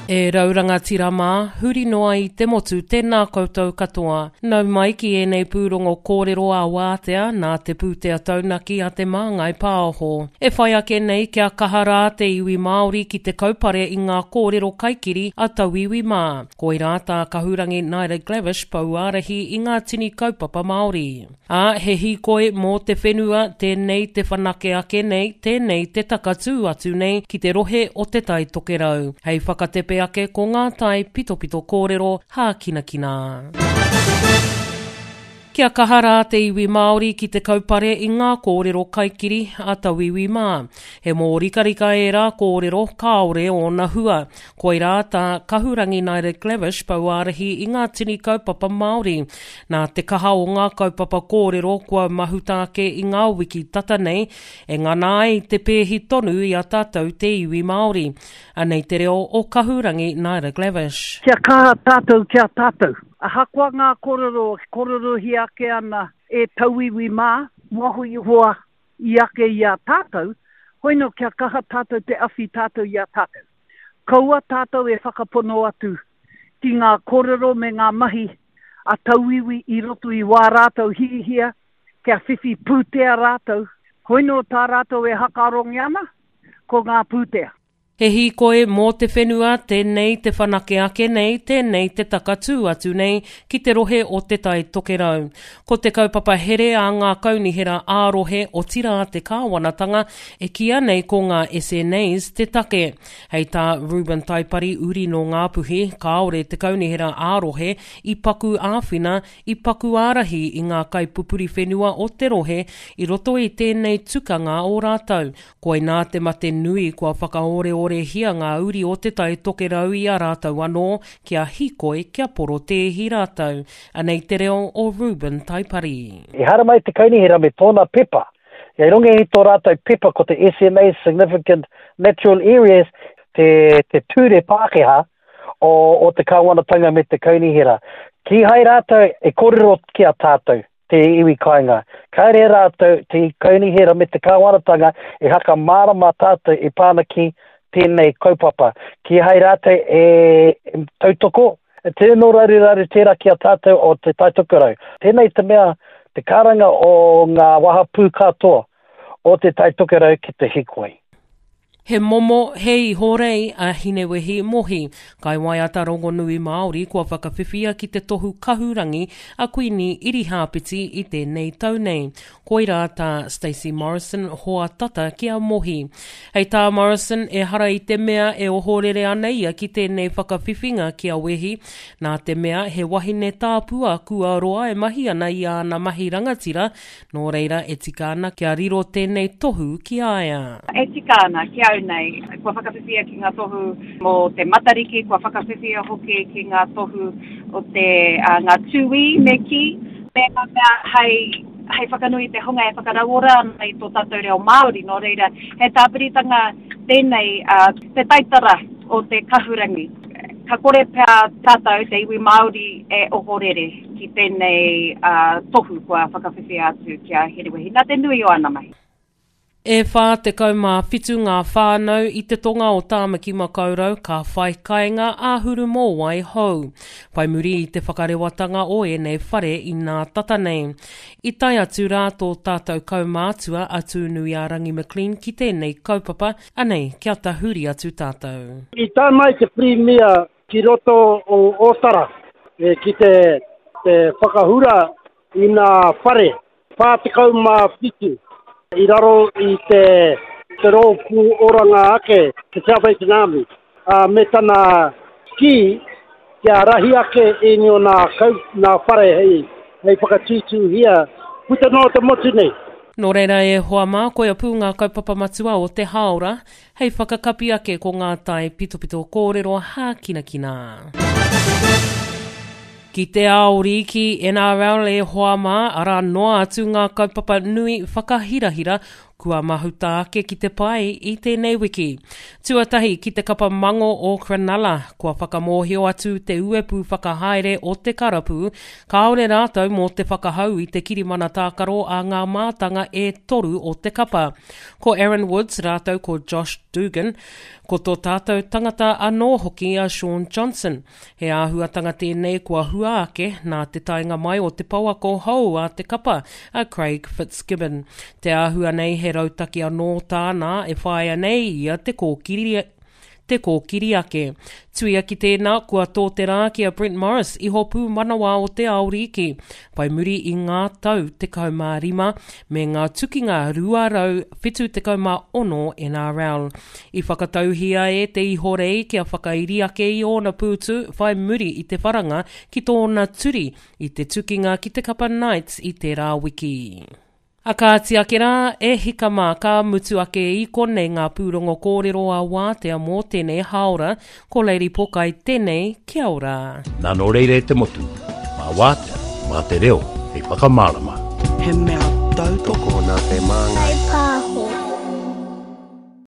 E rau rangatira mā, huri noa i te motu, tēnā koutou katoa. Nau mai ki ēnei pūrongo kōrero ā-wātea nā te pūtea taunaki a Te Māngai Pāho. E whai ake nei kia kaha rā te iwi Māori ki te kaupare i ngā kōrero kaikiri a tauiwi mā. Koirā tā Kahurangi Naida Glavish pouārahi i ngā tini kaupapa Māori. Ā, he hīkoi mō te whenua, tēnei te whanake ake nei, tēnei te takatū atu nei ki te rohe o Te Tai Tokerau. Hei whakatepe ake ko ngā tae pitopito kōrero hākinakina. Kia kaha rā te iwi Māori ki te kaupare i ngā kōrero kaikiri a tauiwi mā. He mōrikarika ērā kōrero, kāore ōna hua. Koirā tā Kahurangi Naida Glavish pouārahi i ngā tini kaupapa Māori. Nā te kaha o ngā kaupapa kōrero kua mahuta ake i ngā wiki tata nei, e ngana ai te pēhi tonu i a tātou te iwi Māori. Anei te reo o Kahurangi Naida Glavish. Kia kaha tātou ki a tātou. Ahakoa ngā kōrero e kōrerohia ake ana e tauiwi mā, waho iho i ake i a tātou, hoino kia kaha tātou te awhi tātou i a tātou. Kaua tātou e whakapono atu ki ngā kōrero me ngā mahi a tauiwi i roto i wā rātou hihia kia whiwhi pūtea rātou, hoino tā rātou e hakarongi ana, ko ngā pūtea. He hīkoi mō te whenua, tēnei te whanake ake nei, tēnei te takatū atu nei ki te rohe o Te Tai Tokerau. Ko te kaupapa here a ngā kaunihera ā-rohe, otirā te kāwanatanga, e kīia nei ko ngā SNAs te take. Hei tā Reuben Taipari, uri nō Ngāpuhi, kāore te kaunihera ā-rohe i paku āwhina, i paku ārahi i ngā kaipupuri whenua o te rohe i roto i tēnei tukanga o rātou. Koinā te mate nui kua whakaoreorehia ngā uri o Te Tai Tokerau i a rātou anō, kia hīkoi, kia porotēhi rātou. Anei te reo o Reuben Taipari. I haramai te kaunihera me tōna pepa. I runga i tō rātou pepa ko te SNA, Significant Natural Areas, te, te ture Pākehā o, o te kāwanatanga me te kaunihera. Kīhai rātou e kōrero ki a tātou. te iwi kāinga. Kāre rātou, te kaunihera me te kāwanatanga e hakamārama tātou e pā ana ki tēnei kaupapa. Kīhai rātou e tautoko, tino raruraru tērā ki a tātou o Te Tai Tokerau. Tēnei te mea, te karanga o ngā wahapū katoa o Te Tai Tokerau ki te hikoi. He momo, he ihorei a Hinewehi Mohi, kaiwaiata rongonui Māori kua whakawhiwhia ki te tohu kahurangi a Kuini Irihāpeti i tēnei tau nei. Koirā tā Stacey Morrison hoa tata ki a Mohi. Hei tā Morrison, ehara i te mea e ohorere ana ia ki tēnei whakawhiwhinga ki a Wehi, nā te mea he wahine tāpua kua roa e mahi ana i āna mahi rangatira Nō reira, e tika ana kia riro tēnei tohu ki a ia. E tika ana, ki au nei, kua whakawhiwhia ki ngā tohu mō te Matariki, kua whakawhiwhia hoki ki ngā tohu o te, ngā tūī me kī, me ngā mea hei, hei whakanui i te hunga e whakarauora ana i tō tātou reo Māori. Nō reira, he tāpiritanga tēnei, te taitara o te kahurangi. Ka kore pea tātou, te iwi Māori, e ohorere ki tēnei tohu kua whakawhiwhia atu ki a Herewini, nā te nui o ana mahi. E 47 ngā whānau i te tonga o Tāmaki Makaurau ka whai kainga āhuru mōwai hou, whai muri i te whakarewatanga o ēnei whare inā tata nei. I tae atu rā tō tātou kaumātua a Tūnuiārangi McLean ki tēnei kaupapa, Anei, kia tahuri atu tātou. I tae mai te Pirimia ki roto o Ōtara ki te whakahura i ngā whare 47 i raro i te Rōpū Oranga Ake, te Salvation Army, me tana kī kia rahi ake ēnei o nā kau, nā whare hei, hei whakatūtūhia puta noa te motu nei. Nō reira e hoa mā, koia pū ngā kaupapa matua o te hāora, hei whakakapi ake ko ngā tae pitopito kōrero hākinakina. Ki te ao rīki, NRL e hoa mā, arā noa atu ngā kaupapa nui whakahirahira. Kua mahuta ake ki te pae i tēnei wiki. Tuatahi ki te kapa mango o Cronulla, kua whakamōhio atu te uepu whakahaere o te karapu, kāore rātou mō te whakahau i te kirimana tākaro a ngā mātanga e toru o te kapa. Ko Aaron Woods rātou ko Josh Dugan, ko tō tātou tangata anō hoki a Shaun Johnson. He āhuatanga tēnei kua hua ake nā te taenga mai o te pouako hou a te kapa, a Craig Fitzgibbon. Te āhua nei he rautaki anō tāna e whāia nei ia te kōkiri, te kōkiri ake. Tuia ki tēnā, kua tō te rā ki a Brent Morris, iho pūmanawa o te ao rīki, whai muri i ngā tau 15 me ngā tukinga 276 NRL. I whakatauhia e te ihorei kia whakairi ake i ōna pūtu whai muri i te wharanga ki tōna turi i te tukinga ki te kapa Knights i tērā wiki. A kāti ake rā, e hika mā, ka mutu ake i konei ngā pūrongo kōrero a Wātea mō tēnei hāora, ko Lady Pokai tēnei, kia ora. Nā nō reira e te motu, mā Wātea, mā te reo hei whakamārama. He mea tautoko Tokona te māngai. Whai pāho.